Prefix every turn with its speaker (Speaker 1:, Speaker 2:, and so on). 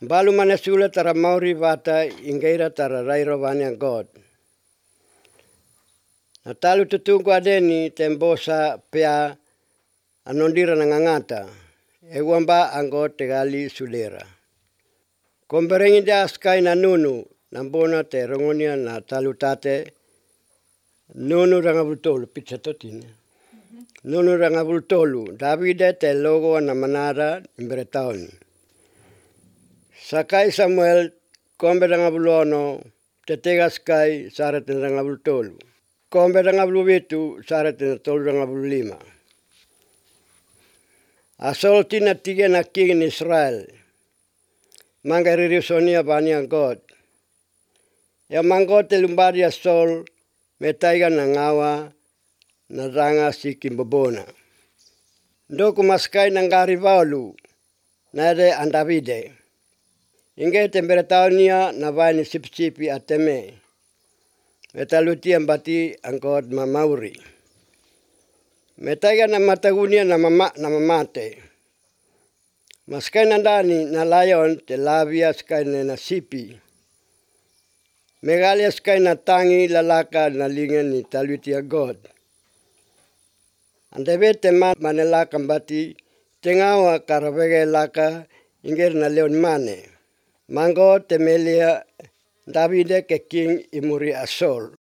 Speaker 1: Balu mana sula tara mauri vata ingeira tara rairo vania God. Na talu tutungu adeni tembosa pea anondira na ngangata. Ewamba anggo tegali sulera. Komberengi dia askai na nunu. Nambona te rongonia na talu tate. Nunu rangabultolu pizza totine. Nunu rangabultolu. Davide te logo na manara imberetaoni. Sakai Samuel kombe rangabulono te tegaskai sarat rangabultolu. Kombe rangabuluvitu sarat tolu rangabulima. Asol tina tiga na king Israel. Manga ririsonia bania God. Ya manggote lumbari asol metaiga na ngawa na ranga si kimbobona. Ndoku maskai nangari vaulu na ere andavide. Inge temperataunia na vaini sip-sipi ateme. Metaluti ambati angkot mamauri. Metaiga na matagunia na mamate. Maskai nandani na layon te lavia skai na sipi. Megalia skai na tangi lalaka na linga ni taluti a God. Andeve te manelaka mbati tengawa karavege laka inger na leon mane. Mango temelia Davide ke king imuri asol.